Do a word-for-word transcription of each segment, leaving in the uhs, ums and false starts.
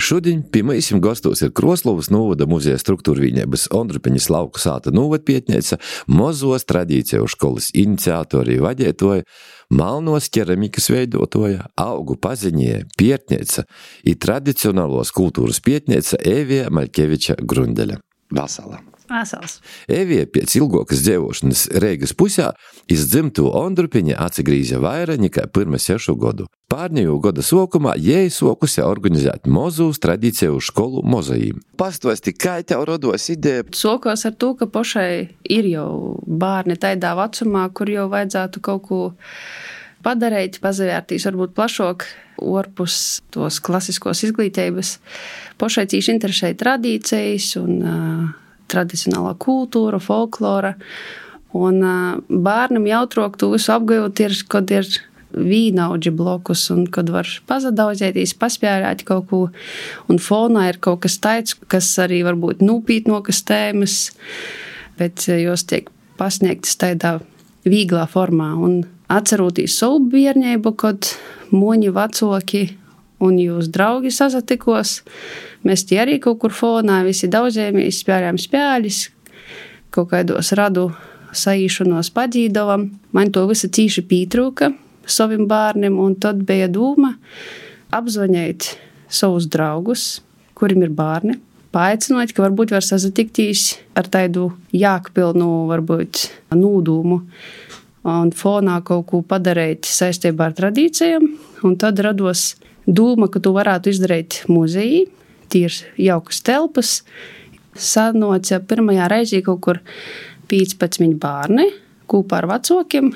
Šodien pie mīsim gastos ir Kroslovas novada muzeja struktūrvīņības Ondrupeņas lauku sāta novadpietneica, mozuos tradīciju školas iniciatori i vadētoja, malnos keramikas veidotoja, augu paziņie, pietneica i tradicionālos kultūras pietneica Evija Maļkeviča Grundeļa. Vasala. Vasals. Evija pēc ilgokas dzievošanas Reigas pusē iz dzimtu Ondrupeņa atsagrīze vaira nekā pirma sešu godu. Pārņēju goda sokumā jei sokusi organizēt mozus tradīciju školu mozajīm. Pastosti, kā tev rodos ideja? Sokos ar to, ka pošai ir jau bārni taidā vecumā, kur jau vajadzētu kaut ko padarīt, pazavērtīs varbūt plašāk orpus tos klasiskos izglītības. Pošai cīši interesēja tradīcijas un uh, tradicionālā kultūra, folklora. Un uh, bērnam jautrok to visu apgājot ir, kad ir vīnaudži blokus un kad var pazadauzētīs, paspjērēt kaut ko. Un fonā ir kaut kas tāds, kas arī varbūt nūpītnokas tēmas, bet jos tiek pasniegtas tādā vīglā formā. Un atcerotīs savu bērnību, kad moņi vacoki un jūs draugi sasatikos, mēs tie arī kaut kur fonā visi daudzēmies, spjārējām spjāļis, kaut kaidos radu saīšanos padzīdovam. Man to visa cīši pītrūka savim bārnim, un tad bija dūma apzvaņēt savus draugus, kurim ir bārni, paaicinot, ka varbūt var sasatiktīs ar taidu jākpilnu, varbūt nūdūmu, un fonā kaut ko padarīt saistībā ar tradīcijām, un tad rados dūma, ka tu varētu izdarīt muzejī, tie ir jaukas telpas, sanoca pirmajā reizī kaut kur piecpadsmit bārni, kūpā ar vacokiem,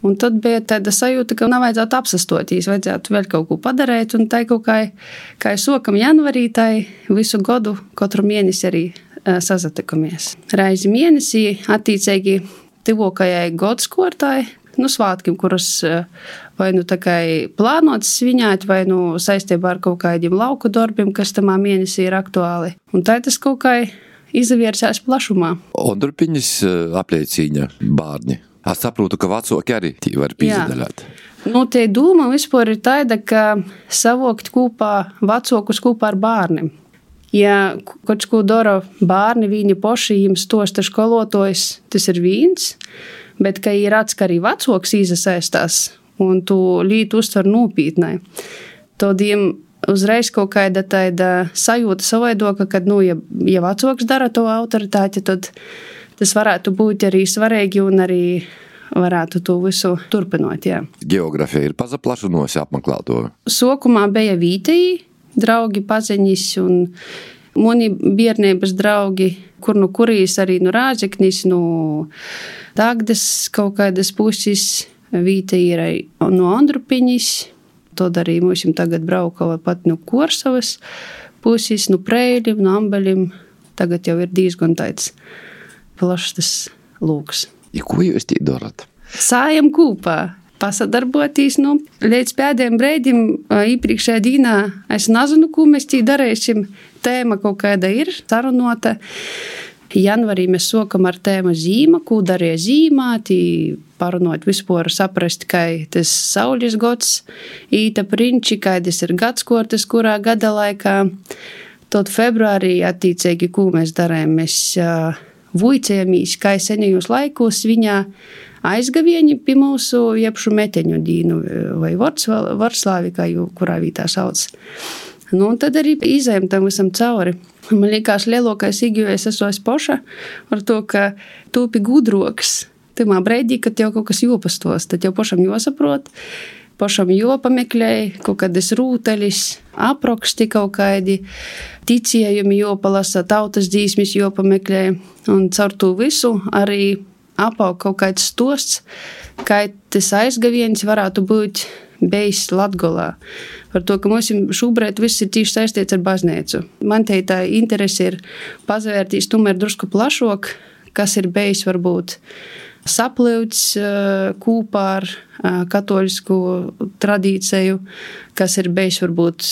un tad bija tāda sajūta, ka nav vajadzētu apsastotīs, vajadzētu vēl kaut ko padarīt, un tai kaut kā, kā sokam janvarī, tai visu godu, katru mēnesi arī uh, sazatikamies. Reizi mēnesī attīcīgi tivokajai godskortai, nu svātkim, kuras vai nu tā kā plānotas sviņāt, vai nu saistībā ar kaut kādiem lauku darbiem, kas tamā mēnesī ir aktuāli. Un tā tas kaut kā izavirsās plašumā. Ondrupeņas apliecīņa bārni. Es saprotu, ka vacoki arī tī var pīzadaļāt. Nu, tie dūma vispār ir tāda, ka savokt kopā vacokus kopā ar bārnim. Ja kaut ko dara bārni, viņi poši, jiem stosta školotojs, tas ir vīns, bet, ka ir ats, ka arī vacoks īsasaistās un tu lītu uztver nūpītnai, tad jiem uzreiz kaut kāda tāda sajūta savaidoka, kad, nu, ja, ja vacoks dara to autoritāti, tad tas varētu būt arī svarīgi un arī varētu to visu turpinot, jā. Geografija ir pazaplašunosi apmeklēto? Sokumā bija vītēji, draugi paziņas un mani bērnības draugi, kur nu kurīs arī nu Rāzeknis, nu Dagdas kaut kādas puses, vītēji ir no Ondrupeņas, tad arī mums tagad braukava pat no Korsavas puses, no Preiļim, no Ambeļim, tagad jau ir diezgan tāds plašs tas lūks. Ja ko jūs tī darat? Sājam kūpā, pasadarbotīs, nu, līdz pēdējiem brēdim īpriekšējā dīnā es nezinu, ko mēs tī darēsim. Tēma kaut kāda ir sarunota. Janvarī mēs sokam ar tēmu zīma, ko darīja zīmā, tī parunot vispār saprast, kā tas saules gods, īta prinči, kādas ir gadskortes, kurā gada laikā. Tad februārī attīcīgi, ko mēs darējam, mēs uh, vuicējamīs, kā senajos laikos viņā aizgavieni pie mūsu jebšu meteņu dīnu vai Varslāvi, kā jau kurā vītā sauc. Nu, un tad arī izējam tam visam cauri. Man liekas, lielākais igjuvēs esmu es poša ar to, ka tūpi gudroks. Timā breidī, kad jau kaut kas jopastos, tad jau pošam josaprot, pošam jopameklēj, kaut kādas rūteļis, aproksti kaut kādi, ticējumi jopalasa, tautas dzīsmis jopameklēj. Un caur to visu arī apaug kaut kāds stosts, kā tas aizgaviens varētu būt bijis Latgolā. Par to, ka mums šobrīd viss ir tīši saistīts ar baznīcu. Man te tā interese ir pazavērtīs tomēr drusku plašāk, kas ir bijis varbūt saplīvts kūpā ar katoļisku tradīciju, kas ir bijis varbūt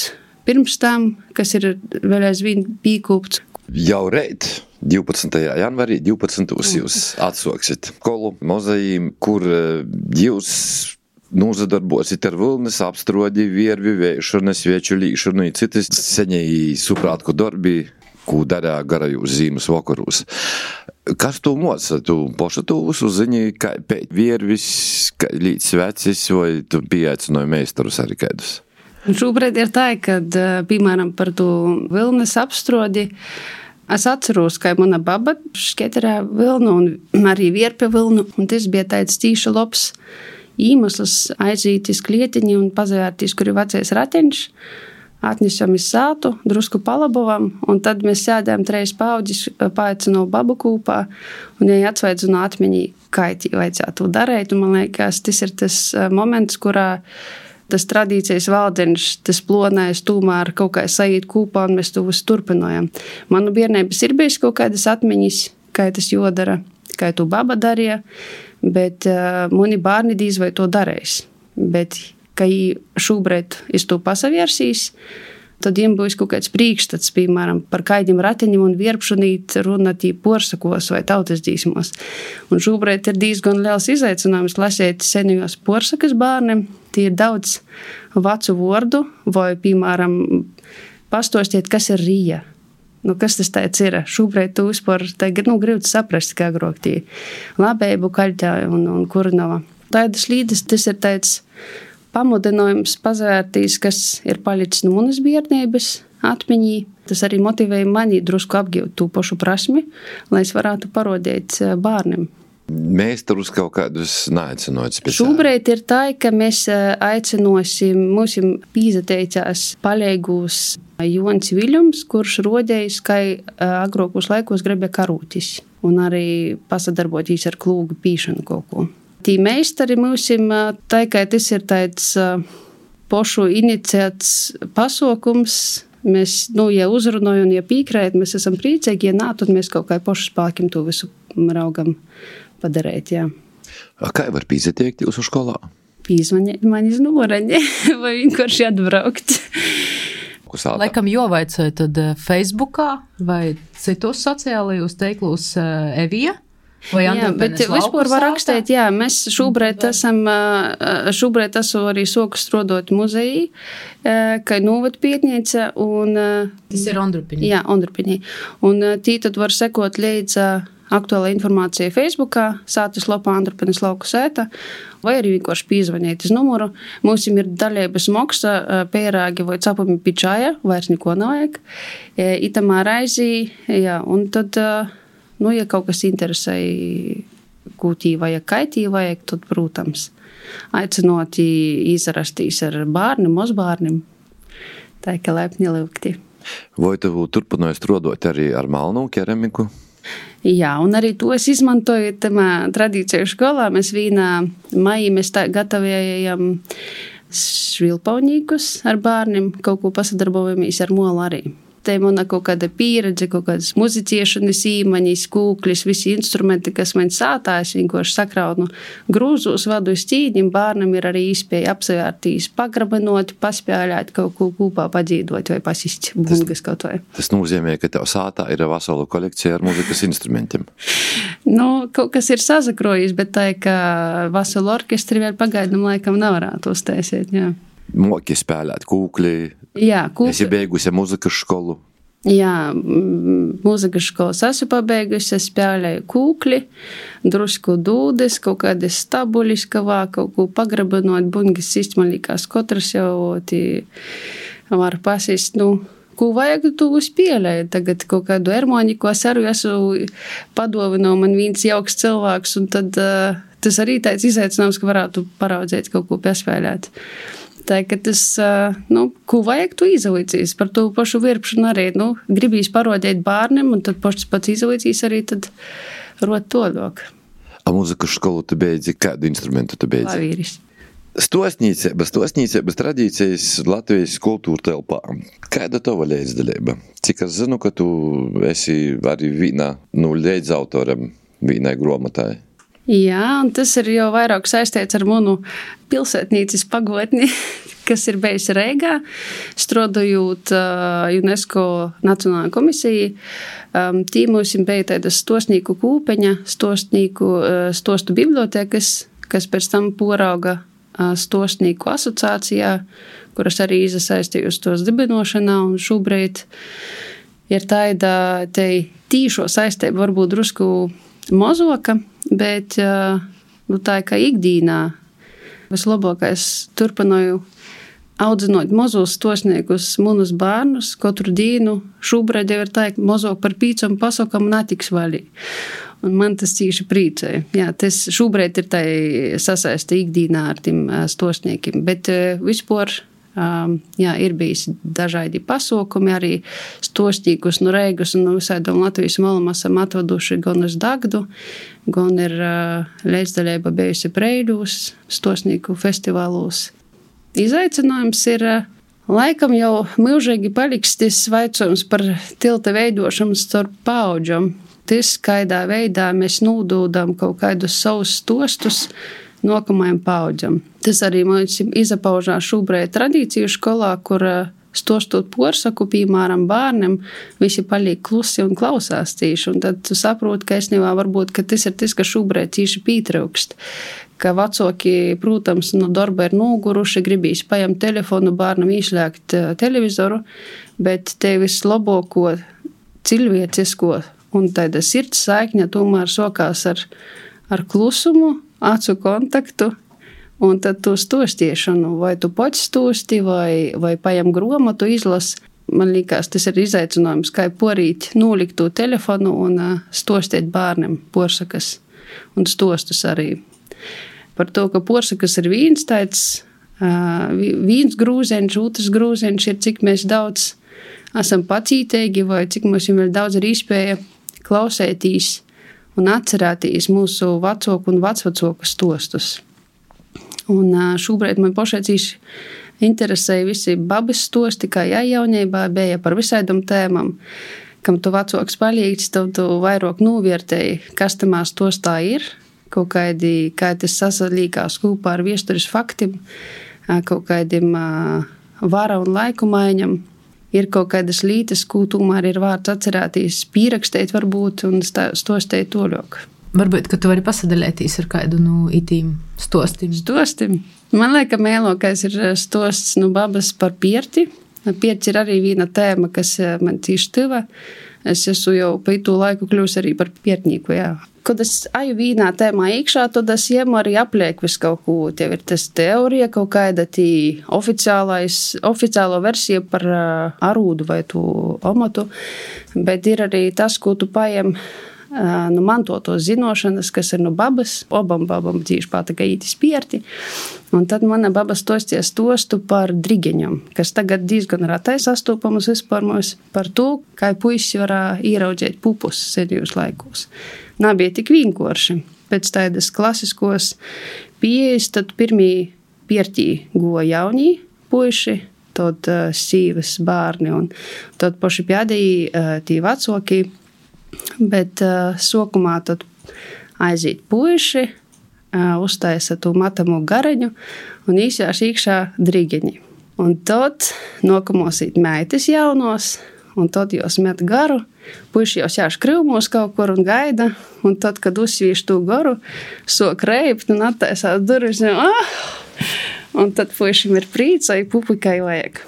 pirms tam, kas ir vēl aizvien pīkūpts. Jau reit, divpadsmitajā janvarī, divpadsmitajā jūs atsoksit skolu mozejīm, kur jūs Nūsadarbosit ar vilnis apstrodi, viervi, veišanu, svieču līšanu i citas seņēji suprātku darbi, ko darā garajūs zīmes vakarūs. Kas tu moca? Tu poša tu uzziņi, kā pēc viervis, kā līdz svecis, vai tu pieaicinoji meistarus arī kādus? Šobrīd ir tā, kad, piemēram, par to vilnis apstrodi, es atceros, ka mana baba šketerē vilnu un arī vierpja vilnu, un tas bija tāds tīša labs īmesls aiziet iz klietiņu un pazavērtīs, kur ir vecais rateņš, atnesam iz sātu, drusku palabovam, un tad mēs sēdējām treis pauģis, paaicinu babu kūpā, un ja atsvaidzinu atmiņī, kā tī vajadzētu darēt, un man liekas, tas ir tas moments, kurā tas tradīcijas valdeņš, tas plonais tūmēr kaut kā saīt kūpā, un mēs to visu turpinojam. Manu bērnības ir bijis kaut kādas atmiņas, kā tas jodara, kā to baba darīja, bet uh, mani bērni dīz vai to darēs. Bet, ka jī šobrīd iz to pasavērsīs, tad jiem būs kaut kāds priekšstats, piemēram, par kaidim rateņiem un vierpšanīt runāt tī porsakos vai tautas dzīsmos. Un šobrīd ir diezgan liels izaicinājums lasēt senajos porsakas bērniem. Tie ir daudz vacu vordu vai, piemēram, pastostiet, kas ir rīja. Nu, kas tas tāds ir? Šobrīd tu vispār nu, gribētu saprast, kā grok tī labēbu kaļķā un, un kurnava. Tādas līdes, tas ir tāds pamudinājums pazvērtīs, kas ir palicis no manas bērnības atmiņī. Tas arī motivēja mani drusku apgūt tū pašu prasmi, lai es varētu parodēt bērniem. Meistarus kaut kādus neaicinot speciāli? Šobrīd ir tā, ka mēs aicinosim, mūsim pīzateicās paļēgūs Jons Viļums, kurš rodējis, ka agrokos laikos gribēja karūtis un arī pasadarbotīs ar klūgu pīšanu kaut ko. Tī meistari mūsim, tā kā tas ir tāds pošu iniciēts pasokums, mēs, nu, ja uzrunoju un ja pīkrēt, mēs esam priecīgi, ja nā, tad mēs kaut kā pošu spākim to visu raugam padarēt, jā. A kā var pīzatiekt jūsu skolā? Pīzvaniet man iz numuraņi, vai vienkārši atbraukt. Laikam jovaicoja tad Facebookā vai citos sociālajos teiklos Evija? Vai jā, bet vispār var rakstīt, jā, mēs šobrīd esam, šobrīd esmu arī soku strodot muzejī, kā novad pietniece un... Tas ir Ondrupiņī. Jā, Ondrupiņī. Un tī tad var sekot līdz aktuāla informācija Facebookā, sātas lopā Andrupiņas lauku sēta, vai arī vienkārši pīzvaniet iz numuru. Mums ir daļības moksa, pērāgi vai capumi pičāja, vairs neko nevajag. Itamā raizī, jā, un tad, nu, ja kaut kas interesēja, kūtī vajag, kaitī vajag, tad, protams, aicinot izrastīs ar bārnim, mozbārnim, tā kā laipni lūgti. Vai tev turpināja strodot arī ar malnu keramiku? Jā, un arī to es izmantoju tamā tradīciju skolā. Mēs vīnā maijā mēs tā gatavējam švilpaunīkus ar bērniem, kaut ko pasadarbojamies ar molu arī. Te mana kaut kāda pieredze, kaut kādas muziciešanas īmaņas, kūklis, visi instrumenti, kas man sātās, vienkārši sakraunu grūzos, vadu uz cīņiem, bērnam ir arī iespēja apsevērtīs, pagrabenot, paspēlēt, kaut ko kūpā padzīdot vai pasist bungas kaut vai. Tas nozīmē, ka tev sātā ir vesela kolekcija ar muzikas instrumentiem. Nu, kaut kas ir sazakrojis, bet tā, ka veselu orkestri vēl pagaidam laikam nevarētu uztaisīt, jā. Moki spēlēt kūkli. Jā, kūkli. Esi beigusi muzikas školu. Jā, muzikas školas esmu pabeigusi, es spēlēju kūkli, drusku dūdes, kaut kādas stabulis, kavā, kaut ko pagrabenot, bungas sistmalīkās, katrs jau tī var pasist, nu, ko vajag tu spēlēt. Tagad kaut kādu ermoniku es arī esmu padovino man viens jauks cilvēks, un tad uh, tas arī tāds izaicinājums, ka varētu paraudzēt kaut ko paspēlēt. Tā, ka tas, nu, ko vajag tu izauicīs par to pašu virpšanu arī, nu, gribīs parodēt bārniem, un tad pašs pats izauicīs arī, tad rot to dok. A muzikas školu tu beidzi, kādu instrumentu tu beidzi? Klavīris. Stosnīcības, stosnīcības tradīcijas Latvijas kultūra telpā. Kāda tova līdzdalība? Cik es zinu, ka tu esi arī vīna, nu, līdzautoram vīnai gromatai. Jā, un tas ir jau vairāk saistīts ar manu pilsētnīcas pagotni, kas ir bijusi Reigā, strādājot uh, UNESCO Nacionālajā komisijā. Um, tī mums bija tādas stosnīku kūpeņa, stosnīku, uh, stostu bibliotekas, kas pēc tam porauga stostnieku asociācijā, kuras arī iesaistījus tos dibinošanā, un šobrīd ir tāda te tīšo saistība varbūt drusku mozoka, bet nu, tā kā ikdīnā vislabākais turpināju audzinot mozus stostniekus, munus bērnus, katru dienu šobrīd jau ir tā, ka mozok par pīcam pasakam netiks vaļī. Un man tas cīši priecēja. Jā, tas šobrīd ir tā sasaista ikdīnā ar tiem stostniekiem, bet vispār jā, ir bijis dažādi pasaukumi, arī stostniekus no Reigas un no visādām Latvijas malām esam atvaduši gan uz Dagdu, gan ir līdzdaļība bijusi Preiļūs, stostnieku festivālos. Izaicinājums ir laikam jau milžīgi paliks tas vaicojums par tilta veidošanu starp paudžam. Tas, kādā veidā mēs nododam kaut kādus savus stostus nākamajam paudzam. Tas arī mums izapaužās šobrīd tradīciju skolā, kur stostot porsaku, piemēram, bērniem, visi paliek klusi un klausās cīši. Un tad tu saproti, ka esnībā varbūt, ka tas ir tas, ka šobrīd cīši pītraukst. Ka vecāki, protams, no darba ir noguruši, gribīs paņemt telefonu bērnam izslēgt televizoru, bet te vislabāko cilvēcisko un tāda sirds saikņa tomēr sokās ar, ar klusumu, acu kontaktu, un tad tu stostiešanu, vai tu pats stosti, vai, vai paņem gromatu izlas. Man liekas, tas ir izaicinājums, kā porīt nolikt to telefonu un stostēt bērniem porsakas un stostus arī. Par to, ka porsakas ir viens tāds, viens grūzeņš, otrs grūzeņš ir, cik mēs daudz esam pacītīgi, vai cik mums ir daudz ir iespēja klausētīs un atcerētīs mūsu vecāku un vecvecāku stostus. Un šobrīd man pašai cīši interesēja visi babas stosti, kā jājaunībā bija par visādām tēmām. Kam tu vecāks palīdz, tad tu vairāk novērtēji, kas tamā stostā ir, kaut kādi, kā tas sasalīkās kopā ar viesturis faktiem, kaut kādiem vara un laiku maiņam. Ir kaut kādas lītas, ko tomēr ir vārds atcerētīs, pierakstēt varbūt un stostēt toļok. Varbūt, ka tu vari pasadalētīs ar kādu no itīm stostim. Stostim. Man lieka mēlokais ir stosts no babas par pierti. Pierts ir arī viena tēma, kas man cīši tiva. Es esmu jau pa itu laiku kļūs arī par piertnieku, jā. Kad es aju vīnā tēmā iekšā, tad es jēmu arī apliek visu kaut ko. Tev ir tas teorija, kaut kāda tī oficiālo versija par arūdu vai tu omatu, bet ir arī tas, ko tu pajem nu mantotos zinošanas, kas ir no babas, obam babam cīši pāta, ka ītis pierti. Un tad mana baba stosties stostu par drigeņam, kas tagad diezgan ratai sastūpamas vispār mums par to, kā puisi varā ieraudzēt pupus senjos laikos. Nebija tik vienkārši. Pēc tādas klasiskos pieejas, tad pirmī piertī goja jaunī puiši, tad uh, sīvas bērni un tad paši pēdējī uh, tī vecāki, bet uh, sokumā tad aiziet puiši, uh, uztaisa tu matamu gareņu un īsjās iekšā drigeņi. Un tad nākamos īt meitas jaunos, un tad jūs met garu, puiši jau sēž krivmos kaut kur un gaida, un tad, kad uzsvīš to garu, sok reipt un attaisās durvis, un, ah! Un tad puišim ir prīca, ja pupikai vajag.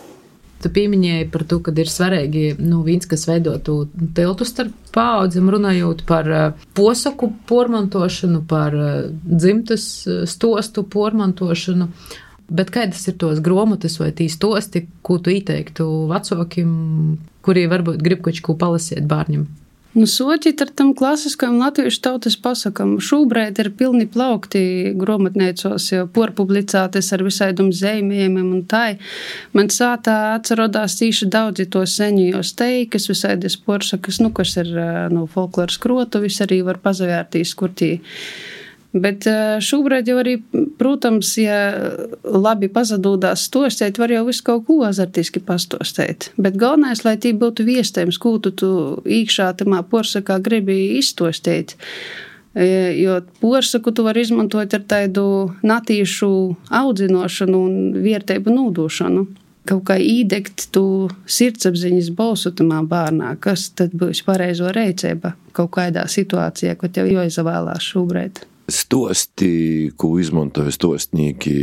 Tu pieminēji par to, kad ir svarīgi, nu, viens, kas veidotu tiltu starp paaudzēm, runājot par posaku pormantošanu, par dzimtas stostu pormantošanu. Bet kādas ir tos gromotas vai tī stosti, ko tu ieteiktu vecākiem, kuri varbūt grib kaut ko palasīt bērņiem? Nu, soķīt ar tam klasiskajam latviešu tautas pasakam. Šobrīd ir pilni plaukti gromotneicos, jau porpublicētas ar visādum zeimējumiem un tai. Man sātā atcerodās tīši daudzi to seņījos teikas, visādas porsakas, nu, kas ir no folkloras krotuvis, arī var pazavērtīs, kur tī. Bet šobrīd jau arī, protams, ja labi pazadūdās stostēt, var jau visu kaut ko azartiski pastostēt. Bet galvenais, lai tī būtu viestējums, ko tu, tu īkšā tamā porsakā gribi izstostēt. Jo porsaku tu var izmantot ar tādu natīšu audzinošanu un vierteibu nūdošanu. Kaut kā īdegt tu sirdsapziņas balsu tamā bērnā, kas tad būs pareizo reicība kaut kādā situācijā, ko tev jāizvēlās šobrīd. stosti, ko izmantoja stostnieki,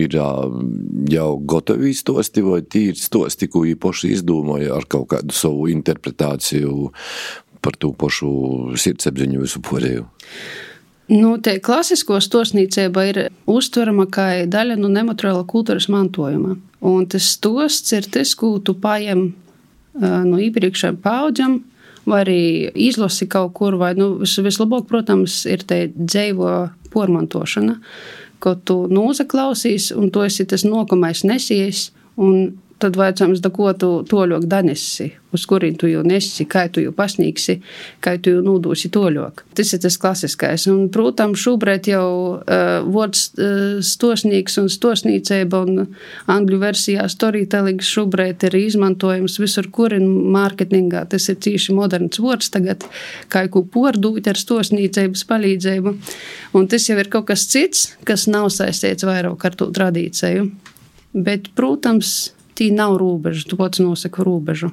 ir jau gotovi stosti, vai tīri stosti, ko viņi poši izdomāja ar kaut kādu savu interpretāciju par to pošu sirdsapziņu visu porēju? Nu, te klasisko stostnīcība ir uztverama kā daļa no nemateriāla kultūras mantojuma. Un tas stosts ir tas, ko tu paņem no iepriekšējām paudzēm, vai arī izlasi kaut kur, vai nu, vis, vislabāk, protams, ir te dzeivo pormantošana, ko tu nozaklausīs, un tu esi tas nokamais nesies, un tad vajadzams, da ko tu toļok danesi, uz kurien tu jau nesi, kā tu jau pasniegsi, kā tu jau nūdūsi toļok. Tas ir tas klasiskais. Un, protams, šobrīd jau uh, vārds uh, stosnīgs un stosnīceiba un angļu versijā storytelling šobrīd ir izmantojams visur, kur ir mārketingā. Tas ir cīši moderns vārds tagad, kā ko pordūt ar stosnīceibas palīdzību. Un tas jau ir kaut kas cits, kas nav saistīts vairāk ar to tradīciju. Bet, protams, tī nav rūbežu, tu pats nosaka rūbežu.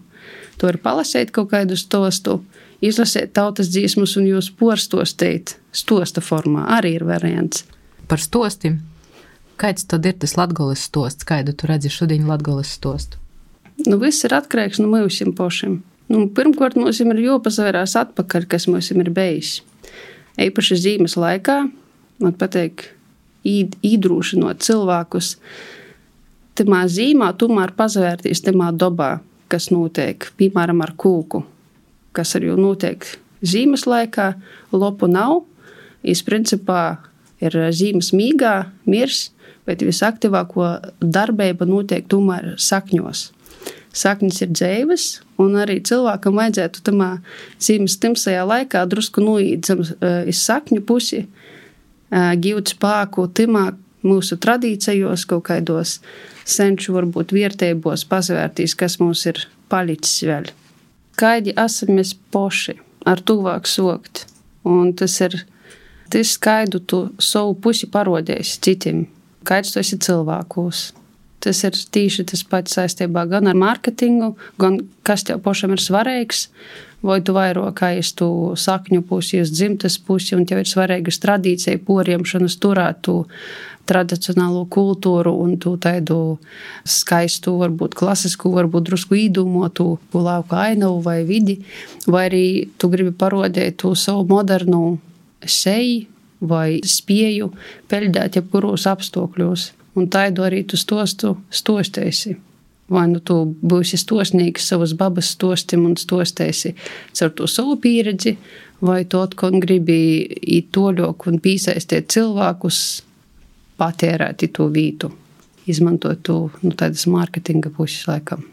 To ir palasēt kaut kādu stostu, izlasēt tautas dzīsmus un jūs porstostēt stosta formā. Arī ir variants. Par stostim. Kāds tad ir tas latgoles stosts? Kādu tu redzi šodien latgoles stostu? Nu, viss ir atkarīgs no mūsim pošiem. Nu, pirmkārt, mums ir jāpasavērās atpakaļ, kas mums ir bijis. Eipaši zīmes laikā, man pateik, īdrūšinot cilvēkus, tamā zīmā tomēr pazavērtīs tamā dobā, kas notiek, piemēram, ar kūku, kas ar jau notiek zīmes laikā, lopu nav, iz principā ir zīmes mīgā, mirs, bet visaktīvāko darbība notiek tomēr sakņos. Sakņas ir dzeives, un arī cilvēkam vajadzētu tamā zīmes timsajā laikā drusku noīdzam iz sakņu pusi, gūt spāku timā mūsu tradīcijos, kaut kaidos senču varbūt vierteibos pasvērtīs, kas mums ir palicis vēl. Kaidi esam mēs poši, ar tuvāk sokt. Un tas ir tas, kaidu tu savu pusi parodēsi citiem. Kaids tu esi cilvēkos. Tas ir tīši tas pats saistībā gan ar marketingu, gan kas tev pošam ir svarīgs, vai tu vairāk aiz tu sakņu pusi, uz dzimtas pusi, un tev ir svarīgas tradīcija, poriemšanas turēt tu tradicionālo kultūru un tu taidu skaistu, varbūt klasisku, varbūt drusku īdūmotu lauka ainavu vai vidi, vai arī tu gribi parodēt tu savu modernu seju vai spēju peļdēt jebkuros apstākļos. Un taidu arī tu stostu stostēsi. Vai nu tu būsi stosnīgs savas babas stostim un stostēsi caur to savu pieredzi, vai tu atkon gribi īt toļok un pīsaistēt cilvēkus, patērēt to vītu, izmantot to, nu, tādas mārketinga puses laikam.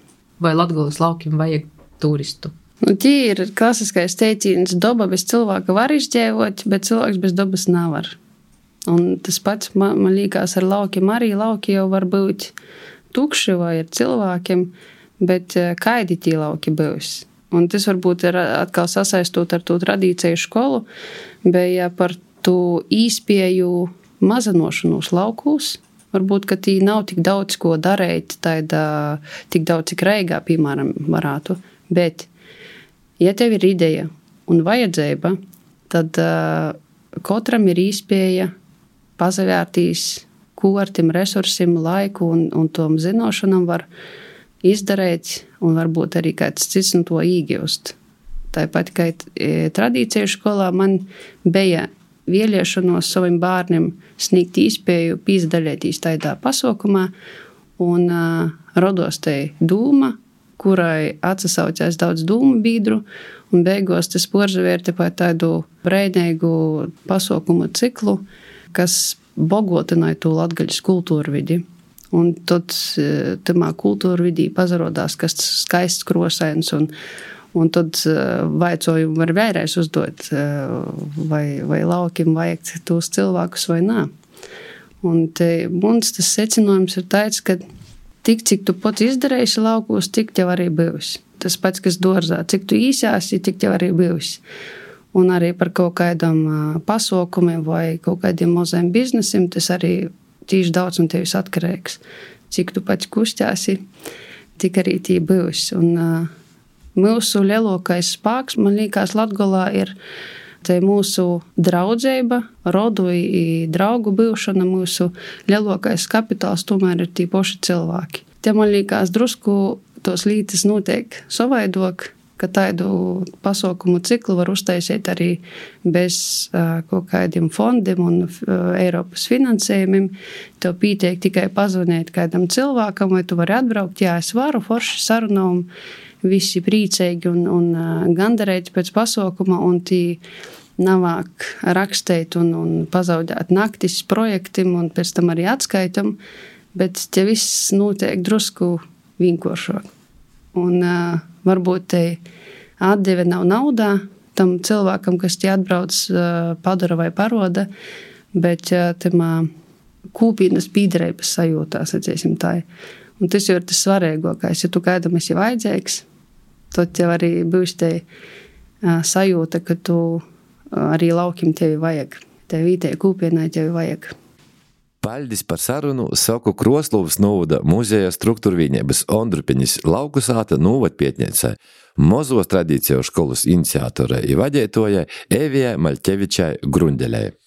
Vai Latgoles laukiem vajag turistu? Nu, tie ir klasiskais teicīns, doba bez cilvēka var izdzīvot, bet cilvēks bez dobas nevar. Un tas pats man, man liekas ar laukiem arī. Lauki jau var būt tukši vai ar cilvēkiem, bet kaidi tie lauki būs. Un tas varbūt ir atkal sasaistot ar to tradīciju skolu, bija par to īspēju mazanošanos laukos. Varbūt, ka tī nav tik daudz, ko darīt, tāda, tik daudz, cik Reigā, piemēram, varētu. Bet, ja tev ir ideja un vajadzība, tad uh, katram ir īspēja pazavērtīs, ko ar tiem resursiem, laiku un, un tom zinošanam var izdarīt, un varbūt arī kāds cits no to īgļust. Tāpat kā e, tradīcija skolā man bija vēlēšanos saviem bērniem sniegt īspēju pīzdalētīs tādā pasaukumā, un uh, rodos te dūma, kurai atsasaucās daudz dūmu bīdru, un beigās tas porzavērti par tādu breidnīgu pasaukumu ciklu, kas bogotināja to latgaļas kultūru vidi. Un tad tamā kultūra vidī pazarodās, kas skaists krosains, un, un tad vaicojumu var vēlreiz uzdot, vai, vai laukiem vajag tos cilvēkus vai nā. Un te mums tas secinājums ir tāds, ka tik, cik tu pats izdarēsi laukos, tik tev arī būs. Tas pats, kas dārzā, cik tu īsāsi, tik tev arī būs. Un arī par kaut kādam pasaukumiem vai kaut kādiem maziem biznesiem, tas arī tīši daudz un tevis atkarīgs. Cik tu pats kustēsi, tik arī tī būs. Un uh, mūsu lielākais spēks, man liekas, Latgolā ir Te mūsu draudzeiba, rodu i draugu byušana, mūsu lielākais kapitāls tomēr ir tī poši cilvēki. Te man liekas drusku tos lītas notiek savaidok, ka tādu pasaukumu ciklu var uztaisīt arī bez uh, kaut kādiem fondiem un uh, Eiropas finansējumiem. Tev pītiek tikai pazvanīt kādam cilvēkam, vai tu vari atbraukt, jā, es varu, forši sarunām, visi priecīgi un, un uh, gandarēti pēc pasaukuma, un tī navāk rakstēt un, un pazaudēt naktis projektim un pēc tam arī atskaitam, bet te viss notiek drusku vienkāršāk. Un uh, varbūt te atdeve nav naudā tam cilvēkam, kas te atbrauc, uh, padara vai paroda, bet uh, tamā kūpīnas pīdarības sajūtā, sacīsim tā. Un tas jau ir tas svarīgākais. Ja tu kādam esi vajadzīgs, tad tev arī būs te uh, sajūta, ka tu uh, arī laukim tevi vajag. Tev vītē kūpienai tevi vajag. Paļdis par sarunu saku Kroslovas novada muzeja struktūrvienības Ondrupenis lauku sāta novada pietniecei, Mozuos tradīciju školas iniciatorei i vadētojai Evijai Maļķevičai Grundelei.